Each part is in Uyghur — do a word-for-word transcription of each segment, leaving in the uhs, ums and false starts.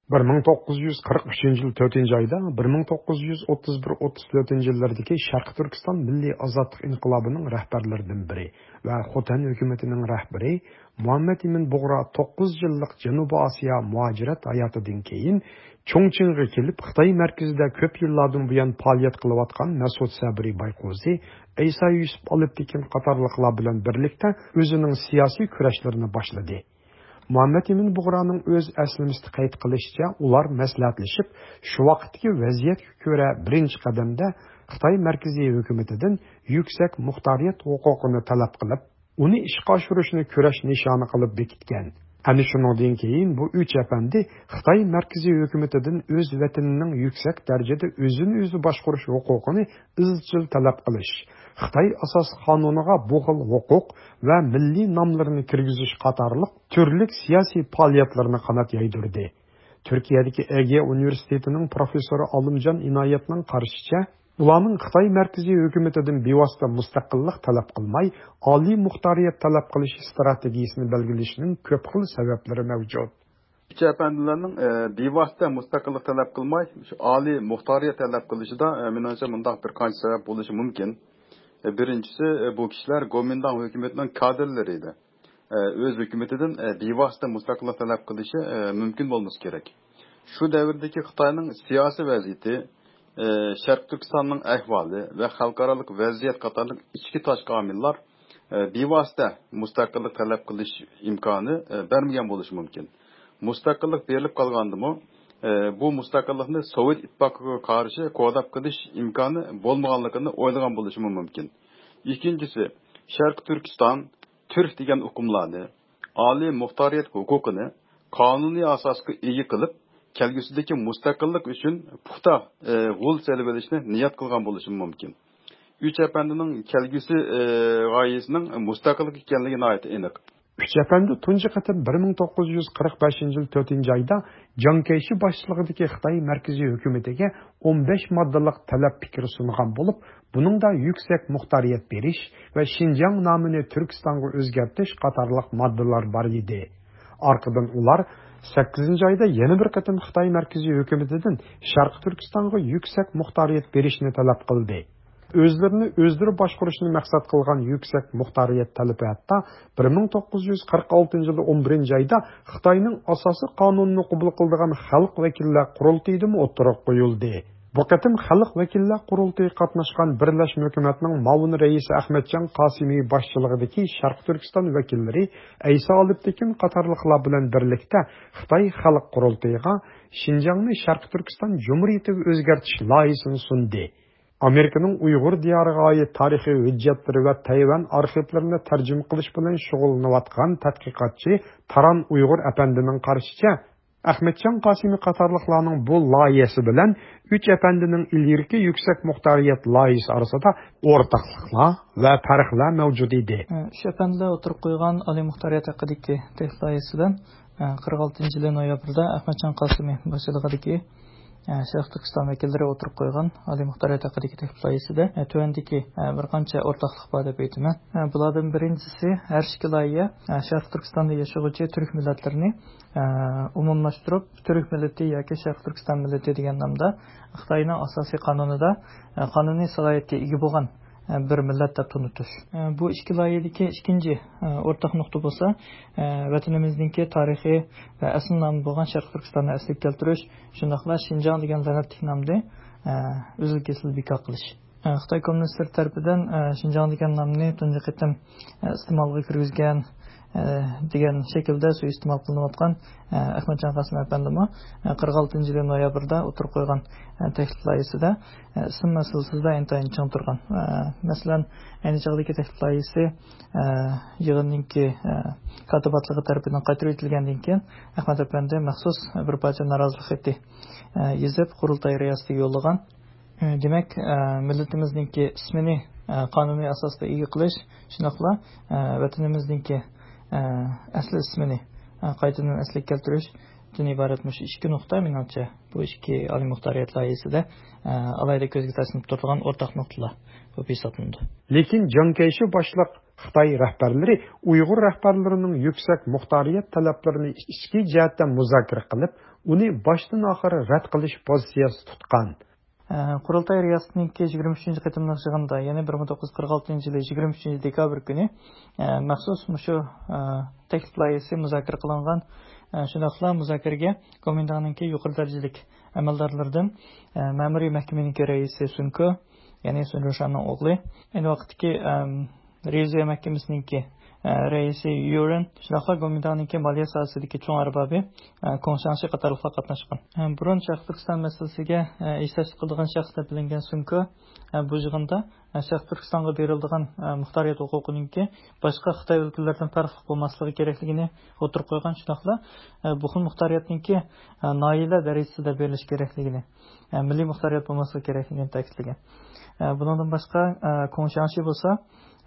بىر مىڭ توققۇز يۈز قىرىق ئۈچىنچى يىل تۆتىنچى ئايدا، بىر مىڭ توققۇز يۈز ئوتتۇز بىر ئوتتۇز تۆتىنچى يىللىرىدىكى شەرقىي تۈركىستان مىللىي ئازادلىق ئىنقىلابىنىڭ رەھبەرلىرىدىن بىرى ۋە خوتەن ھۆكۈمىتىنىڭ رەھبىرى مۇھەممەد ئىمىن بۇغرا توققۇز يىللىق جەنۇبىي ئاسىيا مۇھاجىرەت ھاياتىدىن كېيىن، چۇڭچىڭغا كېلىپ، خىتاي مەركىزىدە كۆپ يىللاردىن بۇيان پائالىيەت قىلىۋاتقان مەسئۇد سەبرى بايقوزى، ئەيسا يۈسۈپ ئالپتېكىن قاتارلىقلار بىلەن بىرلىكتە ئۆزىنىڭ سىياسىي كۈرەشلىرىنى باشلىدى. مۇھەممەد ئىمىن بۇغرانىڭ ئۆز ئەسلىمىسىدە قەيت قىلىشىچە، ئۇلار مەسلىھەتلىشىپ، شۇ ۋاقىتتىكى ۋەزىيەتكە كۆرە بىرىنچى قەدەمدە خىتاي مەركىزىي ھۆكۈمىتىدىن يۈكسەك مۇختارىيەت ھوقۇقىنى تەلەپ قىلىپ، ئۇنى ئىشقا ئاشۇرۇشنى كۈرەش نىشانى قىلىپ بېكىتكەن. ئەنە شۇنىڭدىن كېيىن بۇ ئۈچ ئەپەندى خىتاي مەركىزىي ھۆكۈمىتىدىن ئۆز ۋەتىنىنىڭ يۈكسەك دەرىجىدە ئۆزىنى ئۆزى باشقۇرۇش ھوقۇقىنى ئىزچىل تەلەپ قىلىش، خىتاي ئاساسىي قانۇنىغا بۇ خىل ھوقۇق ۋە مىللىي ناملىرىنى كىرگۈزۈش قاتارلىق تۈرلۈك سىياسىي پائالىيەتلىرىنى قانات يايدۇردى. تۈركىيەدىكى ئېگېئە ئۇنىۋېرسىتېتىنىڭ پروفېسسورى ئالىمجان ئىنايەتنىڭ قارىشىچە، ئۇلارنىڭ خىتاي مەركىزىي ھۆكۈمىتىدىن بىۋاسىتە مۇستەقىللىق تەلەپ قىلماي، ئالىي مۇختارىيەت تەلەپ قىلىش ئىستراتېگىيىسىنى بەلگىلىشىنىڭ كۆپ خىل سەۋەبلىرى مەۋجۇت. ئۈچ ئەپەندىلەرنىڭ، ئە، بىۋاسىتە مۇستەقىللىق تەلەپ قىلماي، شۇ ئالىي مۇختارىيەت تەلەپ قىلىشىدا، ئە، مېنىڭچە مۇنداق بىر قانچە سەۋەب بولۇشى مۇمكىن. ئە، بىرىنچىسى، ئە، بۇ كىشىلەر گومىنداڭ ھۆكۈمىتىنىڭ كادىرلىرى ئىدى. ئە، ئۆز ھۆكۈمىتىدىن، ئە، بىۋاسىتە مۇستەقىللىق تەلەپ قىلىشى، ئە، مۇمكىن بولمىسا كېرەك. شۇ دەۋردىكى خىتاينىڭ سىياسىي ۋەزىيىتى، ئە، شەرقىي تۈركىستاننىڭ ئەھۋالى ۋە خەلقئارالىق ۋەزىيەت قاتارلىق ئىچكى تاشقى ئامىللار، ئە، بىۋاسىتە مۇستەقىللىق تەلەپ قىلىش ئىمكانى، ئە، بەرمىگەن بولۇشى مۇمكىن. مۇستەقىللىق بېرىلىپ قالغاندىمۇ، ئە، بۇ مۇستەقىللىقنى سوۋېت ئىتتىپاقىغا قارشى قوغداپ قېلىش ئىمكانى بولمىغانلىقىنى ئويلىغان بولۇشىمۇ مۇمكىن. ئىككىنچىسى، شەرقىي تۈركىستان، تۈرك دېگەن ئۇقۇملارنى، ئالىي مۇختارىيەت ھوقۇقىنى قانۇنىي ئاساسقا ئىگە قىلىپ، كەلگۈسىدىكى مۇستەقىللىق ئۈچۈن پۇختا، ئە، غول سېلىۋېلىشنى نىيەت قىلغان بولۇشىمۇ مۇمكىن. ئۈچ ئەپەندىنىڭ كەلگۈسى، ئە، غايىسىنىڭ مۇستەقىللىق ئىكەنلىكى ناھايىتى ئېنىق. ئۈچ ئەپەندى تۇنجى قېتىم بىر مىڭ توققۇز يۈز قىرىق بەشىنچى يىل تۆتىنچى ئايدا جاڭ كەيشى باشچىلىقىدىكى خىتاي مەركىزىي ھۆكۈمىتىگە ئون بەش ماددىلىق تەلەپ پىكرى سۇنغان بولۇپ، بۇنىڭدا يۈكسەك مۇختارىيەت بېرىش ۋە شىنجاڭ نامىنى تۈركىستانغا ئۆزگەرتىش قاتارلىق ماددىلار بار ئىدى. ئارقىدىن ئۇلار سەككىزىنچى ئايدا يەنە بىر قېتىم خىتاي مەركىزىي ھۆكۈمىتىدىن شەرقىي تۈركىستانغا يۈكسەك مۇختارىيەت بېرىشنى تەلەپ قىلدى. ئۆزلىرىنى ئۆزلىرى باشقۇرۇشنى مەقسەت قىلغان يۈكسەك مۇختارىيەت تەلىپى ھەتتا بىر مىڭ توققۇز يۈز قىرىق ئالتىنچى يىلى ئون بىرىنچى ئايدا خىتاينىڭ ئاساسىي قانۇنىنى قوبۇل قىلىدىغان خەلق ۋەكىللەر قۇرۇلتىيىدىمۇ ئوتتۇرىغا قويۇلدى. بۇ قېتىم خەلق ۋەكىللەر قۇرۇلتىيى قاتناشقان بىرلەشمە ھۆكۈمەتنىڭ مۇئاۋىن رەئىسى ئەخمەتجان قاسىمى باشچىلىقىدىكى شەرقىي تۈركىستان ۋەكىللىرى ئەيسا ئالپتېكىن قاتارلىقلار بىلەن بىرلىكتە خىتاي خەلق قۇرۇلتىيىغا شىنجاڭنى شەرقىي تۈركىستان جۇمھۇرىيىتىگە ئۆزگەرتىش لايىھىسىنى سۇندى. ئامېرىكىنىڭ ئۇيغۇر دىيارىغا ئائىت تارىخىي ھۆججەتلىرى ۋە تەيۋەن ئارخىپلىرىنى تەرجىمە قىلىش بىلەن شۇغۇللىنىۋاتقان تەتقىقاتچى تاران ئۇيغۇر ئەپەندىنىڭ قارىشىچە، ئەخمەتجان قاسىمى قاتارلىقلارنىڭ بۇ لايىھەسى بىلەن ئۈچ ئەپەندىنىڭ ئىلگىرىكى يۈكسەك مۇختارىيەت لايىھەسى ئارىسىدا ئورتاقلىقلار ۋە پەرقلەر مەۋجۇت ئىدى. ئۈچ ئەپەندىلەر ئوتتۇرىغا قويغان ئالىي مۇختارىيەت ھەققىدىكى تەكلىپ لايىھەسى بىلەن، قىرىق ئالتىنچى يىلى نويابىردا ئەخمەتجان قاسىمى باشچىلىقىدىكى، ئە، شەرقىي تۈركىستان ۋەكىللىرى ئوتتۇرىغا قويغان ئالىي مۇختارىيەت ھەققىدىكى تەكلىپ لايىھىسىدە، ئە، تۆۋەندىكى، ئە، بىر قانچە ئورتاقلىق بار دەپ ئېيتىمەن. ئە، بۇلاردىن بىرىنچىسى، ھەر ئىككى لايىھە، ئە، شەرقىي تۈركىستاندا ياشىغۇچى تۈرك مىللەتلىرىنى، ئە، ئومۇملاشتۇرۇپ، تۈرك مىللىتى ياكى شەرقىي تۈركىستان مىللىتى دېگەن نامدا خىتاينىڭ ئاساسىي قانۇنىدا، ئە، قانۇنىي سالاھىيەتكە ئىگە بولغان، ئە، بىر مىللەت دەپ تونۇتۇش. ئە، بۇ ئىككى لايىھەدىكى ئىككىنچى، ئە، ئورتاق نۇقتا بولسا، ئە، ۋەتىنىمىزنىڭكى تارىخى ۋە ئەسلى نامى بولغان شەرقىي تۈركىستاننى ئەسلىگە كەلتۈرۈش، شۇنداقلا شىنجاڭ دېگەن لەنەتلىك نامنى، ئە، ئۈزۈل-كېسىل بىكار قىلىش. ئە، خىتاي كوممۇنىستلىرى تەرىپىدىن، ئە، شىنجاڭ دېگەن نامنى تۇنجى قېتىم، ئە، ئىستېمالغا كىرگۈزگەن، ئە، دېگەن شەكىلدە سۇيىئىستېمال قىلىنىۋاتقان، ئە، ئەخمەتجان قاسىم ئەپەندىمۇ، ئە، قىرىق ئالتىنچى يىلى نويابىردا ئوتتۇرىغا قويغان، ئە، تەكلىپ لايىھىسىدە، ئە، ئىسىم مەسىلىسىدە ئىنتايىن چىڭ تۇرغان. ئە، مەسىلەن، ئەينى چاغدىكى تەكلىپ لايىھىسى، ئە، يىغىننىڭكى، ئە، كاتىباتلىقى تەرىپىدىن قايتۇرۇپ ئېيتىلگەندىن كېيىن، ئەخمەت ئەپەندى مەخسۇس بىر پارچە نارازىلىق خېتى، ئە، يېزىپ، قۇرۇلتاي رىياسىتىگە يوللىغان. ئە، دېمەك، ئە، مىللىتىمىزنىڭكى ئىسمىنى، ئە، قانۇنىي ئاساستا ئىگە قىلىش، شۇنداقلا، ئە، ۋەتىنىمىزنىڭكى، ئە، ئەسلى ئىسمىنى، ئە، قايتىدىن ئەسلىگە كەلتۈرۈشتىن ئىبارەت مۇشۇ ئىككى نۇقتا، مېنىڭچە، بۇ ئىككى ئالىي مۇختارىيەت لايىھىسىدە، ئە، ئالاھىدە كۆزگە تاشلىنىپ تۇرىدىغان ئورتاق نۇقتىلار بولۇپ ھېسابلىنىدۇ. لېكىن جاڭ كەيشى باشلىق خىتاي رەھبەرلىرى ئۇيغۇر رەھبەرلىرىنىڭ يۈكسەك مۇختارىيەت تەلەپلىرىنى ئىچكى جەھەتتە مۇزاكىرە قىلىپ، ئۇنى باشتىن ئاخىر رەت قىلىش پوزىتسىيەسى تۇتقان. ئە، قۇرۇلتاي رىياسىتىنىڭكى يىگىرمە ئۈچىنچى قېتىملىق يىغىنىدا، يەنى بىر مىڭ توققۇز يۈز قىرىق ئالتىنچى يىلى يىگىرمە ئۈچىنچى دېكابىر كۈنى، ئە، مەخسۇس مۇشۇ، ئە، تەكلىپ لايىھىسى مۇزاكىرە قىلىنغان. ئە، شۇنداقلا مۇزاكىرىگە گومىنداڭنىڭكى يۇقىرى دەرىجىلىك ئەمەلدارلىرىدىن، ئە، مەمۇرىي مەھكىمىنىڭكى رەئىسى سۇنكو، يەنى سۇن رۇشاننىڭ ئوغلى، ئەينى ۋاقىتتىكى، ئەم، رېۋىزىيە مەھكىمىسىنىڭكى، ئە، رەئىسى يۈرېن، شۇنداقلا گومىنداڭنىڭكى مالىيە ساھەسىدىكى چوڭ ئەربابى، ئە، كوڭ شياڭشى قاتارلىقلار قاتناشقان. ئە، بۇرۇن شەرقىي تۈركىستان مەسىلىسىگە، ئە، ھېسداشلىق قىلىدىغان شەخس دەپ بىلىنگەن سۇنكو، ئە، بۇ يىغىندا، ئە، شەرقىي تۈركىستانغا بېرىلىدىغان، ئە، مۇختارىيەت ھوقۇقىنىڭكى باشقا خىتاي ئۆلكىلىرىدىن پەرقلىق بولماسلىقى كېرەكلىكىنى ئوتتۇرىغا قويغان، شۇنداقلا، ئە، بۇ خىل مۇختارىيەتنىڭكى، ئە، ناھىيەلەر دەرىجىسىدە بېرىلىشى كېرەكلىكىنى، ئە، مىللىي مۇختارىيەت بولماسلىقى كېرەكلىكىنى تەكىتلىگەن. ئە، بۇنىڭدىن باشقا، ئە، كوڭ شياڭشى بولسا،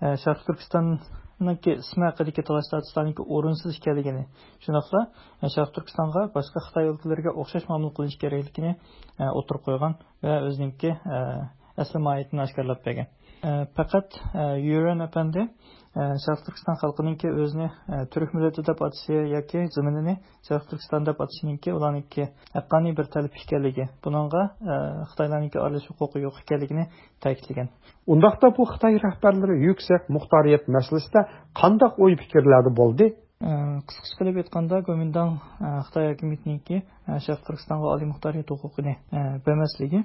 ئە، شەرقىي تۈركىستاننىڭكى ئىسمى ھەققىدىكى تالاش تارتىشلارنىڭكى ئورۇنسىز ئىكەنلىكىنى، شۇنداقلا، ئە، شەرقىي تۈركىستانغا باشقا خىتاي ئۆلكىلىرىگە ئوخشاش مۇئامىلە قىلىش كېرەكلىكىنى، ئە، ئوتتۇرىغا قويغان ۋە ئۆزىنىڭكى، ئە، ئەسلى ماھىيىتىنى ئاشكارىلاپ بەرگەن. ئە، پەقەت، ئە، يۈرەن ئەپەندى، ئە، شەرقىي تۈركىستان خەلقىنىڭكى ئۆزىنى، ئە، تۈرك مىللىتى دەپ ئاتىشى ياكى زېمىنىنى شەرقىي تۈركىستان دەپ ئاتىشىنىڭكى ئۇلارنىڭكى ھەققانىي بىر تەلىپى ئىكەنلىكى، بۇنىڭغا، ئە، خىتايلارنىڭكى ئارىلىشىش ھوقۇقى يوق ئىكەنلىكىنى تەكىتلىگەن. ئۇنداقتا بۇ خىتاي رەھبەرلىرى يۈكسەك مۇختارىيەت مەسىلىسىدە قانداق ئوي پىكىرلەردە بولدى؟ ئە، قىسقىچە قىلىپ ئېيتقاندا، گومىنداڭ، ئە، خىتاي ھاكىمىيىتىنىڭكى، ئە، شەرقىي تۈركىستانغا ئالىي مۇختارىيەت ھوقۇقىنى، ئە، بەرمەسلىكى،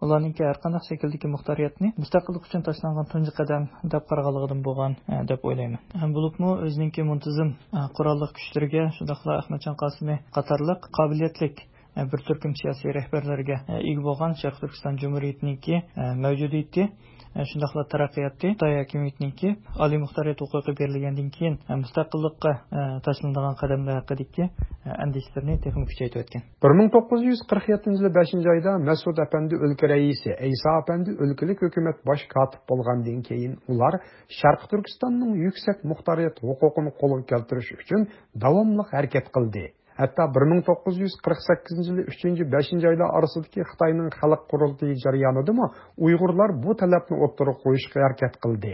ئۇلارنىڭكى ھەر قانداق شەكىلدىكى مۇختارىيەتنى مۇستەقىللىق ئۈچۈن تاشلانغان تۇنجى قەدەم دەپ قارىغانلىقىدىن بولغان، ئە، دەپ ئويلايمەن. ھەم بولۇپمۇ ئۆزىنىڭكى مۇنتىزىم، ئە، قوراللىق كۈچلىرىگە، شۇنداقلا ئەخمەتجان قاسىمى قاتارلىق قابىلىيەتلىك، ئە، بىر تۈركۈم سىياسىي رەھبەرلەرگە، ئە، ئىگە بولغان شەرقىي تۈركىستان جۇمھۇرىيىتىنىڭكى، ئە، مەۋجۇدىيىتى، ئە، شۇنداقلا تەرەققىياتى خىتاي ھاكىمىيىتىنىڭكى ئالىي مۇختارىيەت ھوقۇقى بېرىلگەندىن كېيىن، ئە، مۇستەقىللىققا، ئە، تاشلىنىدىغان قەدەملەر ھەققىدىكى، ئە، ئەندىشىلىرىنى تېخىمۇ كۈچەيتىۋەتكەن. بىر مىڭ توققۇز يۈز قىرىق يەتتىنچى يىلى بەشىنچى ئايدا مەسئۇد ئەپەندى ئۆلكە رەئىسى، ئەيسا ئەپەندى ئۆلكىلىك ھۆكۈمەت باش كاتىپ بولغاندىن كېيىن، ئۇلار شەرقىي تۈركىستاننىڭ يۈكسەك مۇختارىيەت ھوقۇقىنى قولغا كەلتۈرۈش ئۈچۈن داۋاملىق ھەرىكەت قىلدى. ھەتتا بىر مىڭ توققۇز يۈز قىرىق سەككىزىنچى يىلى ئۈچىنچى، بەشىنچى ئايلار ئارىسىدىكى خىتاينىڭ خەلق قۇرۇلتىيى جەريانىدىمۇ ئۇيغۇرلار بۇ تەلەپنى ئوتتۇرىغا قويۇشقا ھەرىكەت قىلدى.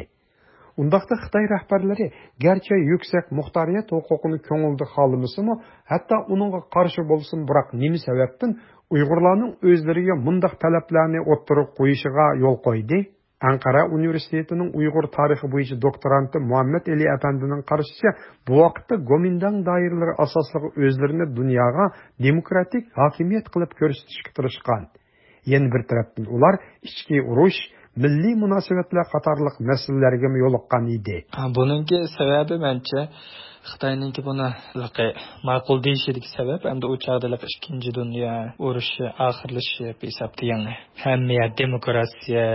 ئۇنداقتا خىتاي رەھبەرلىرى گەرچە يۈكسەك مۇختارىيەت ھوقۇقىنى كۆڭلىدە خالىمىسىمۇ، ھەتتا ئۇنىڭغا قارشى بولسىمۇ، بىراق نېمە سەۋەبتىن ئۇيغۇرلارنىڭ ئۆزلىرىگە مۇنداق تەلەپلەرنى ئوتتۇرىغا قويۇشىغا يول قويدى؟ ئەنقەرە ئۇنىۋېرسىتېتىنىڭ ئۇيغۇر تارىخى بويىچە دوكتورانتى مۇھەممەد ئېلى ئەپەندىنىڭ قارىشىچە، بۇ ۋاقىتتا گومىنداڭ دائىرىلىرى ئاساسلىقى ئۆزلىرىنى دۇنياغا دېموكراتىك ھاكىمىيەت قىلىپ كۆرسىتىشكە تىرىشقان. يەنە بىر تەرەپتىن ئۇلار ئىچكى ئۇرۇش، مىللىي مۇناسىۋەتلەر قاتارلىق مەسىلىلەرگىمۇ يولۇققان ئىدى. بۇنىڭكى سەۋەبى مەنچە خىتاينىڭكى بۇنى ماقۇل دېيىشىدىكى سەۋەب، ئەمدى ئۇ چاغدا ئىككىنچى دۇنيا ئۇرۇشى ئاخىرلىشىپ ھېسابتا يېڭى. ھەممە يەر دېموكراتىيە،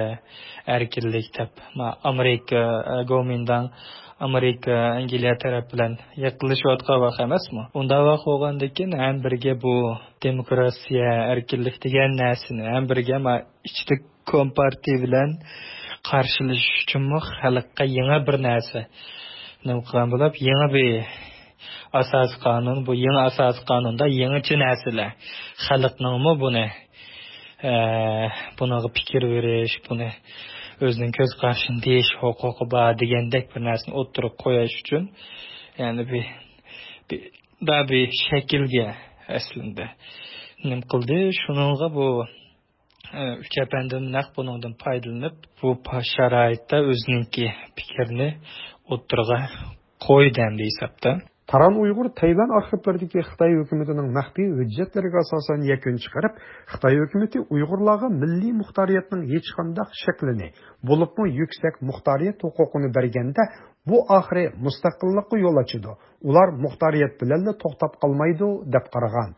ئەركىنلىك دەپ، ما، ئامېرىكا، ئە، گومىنداڭ، ئامېرىكا، ئەنگلىيە تەرەپ بىلەن يېقىنلىشىۋاتقان ۋاق ئەمەسمۇ؟ ئۇنداق ۋاق بولغاندىن كېيىن ھەم بىرگە بۇ دېموكراتىيە، ئەركىنلىك دېگەن نەرسىنى ھەم بىرگە، ما، ئىچىدە كومپارتىيە بىلەن قارشىلىشىش ئۈچۈنمۇ خەلققە يېڭى بىر نەرسە نېمە قىلغان بولۇپ، يېڭى بىر ئاساسىي قانۇن، بۇ يېڭى ئاساسىي قانۇندا يېڭىچە نەرسىلەر، خەلقنىڭمۇ بۇنى، ئە، بۇنىڭغا پىكىر بېرىش، بۇنى ئۆزىنىڭ كۆز قارىشىنى دېيىش ھوقۇقى بار دېگەندەك بىر نەرسىنى ئوتتۇرىغا قويۇش ئۈچۈن، يەنى بىر، بىر، بىر شەكىلگە ئەسلىندە نېمە قىلدى؟ شۇنىڭغا بۇ ئۈچ ئەپەندىم نەق بۇنىڭدىن پايدىلىنىپ، بۇ پا-، شارائىتتا ئۆزىنىڭكى پىكرىنى ئوتتۇرىغا قويدى ئەمدى ھېسابتا. تاران ئۇيغۇر تەيۋەن ئارخىپلىرىدىكى خىتاي ھۆكۈمىتىنىڭ مەخپىي ھۆججەتلىرىگە ئاساسەن يەكۈن چىقىرىپ، خىتاي ھۆكۈمىتى ئۇيغۇرلارغا مىللىي مۇختارىيەتنىڭ ھېچقانداق شەكلىنى، بولۇپمۇ يۈكسەك مۇختارىيەت ھوقۇقىنى بەرگەندە، بۇ ئاخىرى مۇستەقىللىققا يول ئاچىدۇ، ئۇلار مۇختارىيەت بىلەنلا توختاپ قالمايدۇ، دەپ قارىغان.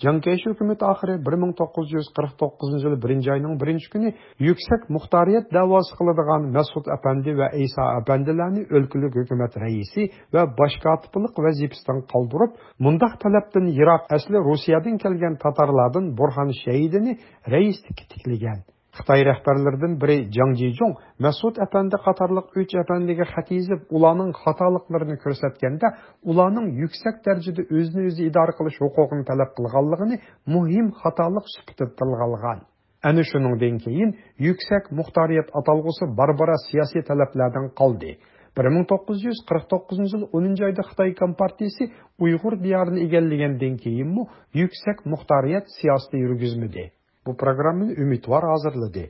جياڭ كەيشى ھۆكۈمىتى ئاخىرى بىر مىڭ توققۇز يۈز قىرىق توققۇزىنچى يىل بىرىنچى ئاينىڭ بىرىنچى كۈنى يۈكسەك مۇختارىيەت دەۋاسى قىلىدىغان مەسئۇد ئەپەندى ۋە ئەيسا ئەپەندىلەرنى ئۆلكىلىك ھۆكۈمەت رەئىسى ۋە باش كاتىپلىق ۋەزىپىسىدىن قالدۇرۇپ، مۇنداق تەلەپتىن يىراق ئەسلى روسىيەدىن كەلگەن تاتارلاردىن بۇرھان شەھىدىنى رەئىسلىككە تىكلىگەن. خىتاي رەھبەرلىرىدىن بىرى جاڭ جىجۇڭ مەسئۇد ئەپەندى قاتارلىق ئۈچ ئەپەندىگە خەت يېزىپ، ئۇلارنىڭ خاتالىقلىرىنى كۆرسەتكەندە، ئۇلارنىڭ يۈكسەك دەرىجىدە ئۆزىنى ئۆزى ئىدارە قىلىش ھوقۇقىنى تەلەپ قىلغانلىقىنى مۇھىم خاتالىق سۈپىتىدە تىلغا ئالغان. ئەنە شۇنىڭدىن كېيىن يۈكسەك مۇختارىيەت ئاتالغۇسى بارا-بارا سىياسىي تەلەپلەردىن قالدى. بىر مىڭ توققۇز يۈز قىرىق توققۇزىنچى يىل ئونىنچى ئايدا خىتاي كومپارتىيىسى ئۇيغۇر دىيارىنى ئىگىلىگەندىن كېيىنمۇ يۈكسەك مۇختارىيەت سىياسىتى يۈرگۈزمىدى. بۇ پروگراممىنى ئۈمىدۋار ھازىرلىدى.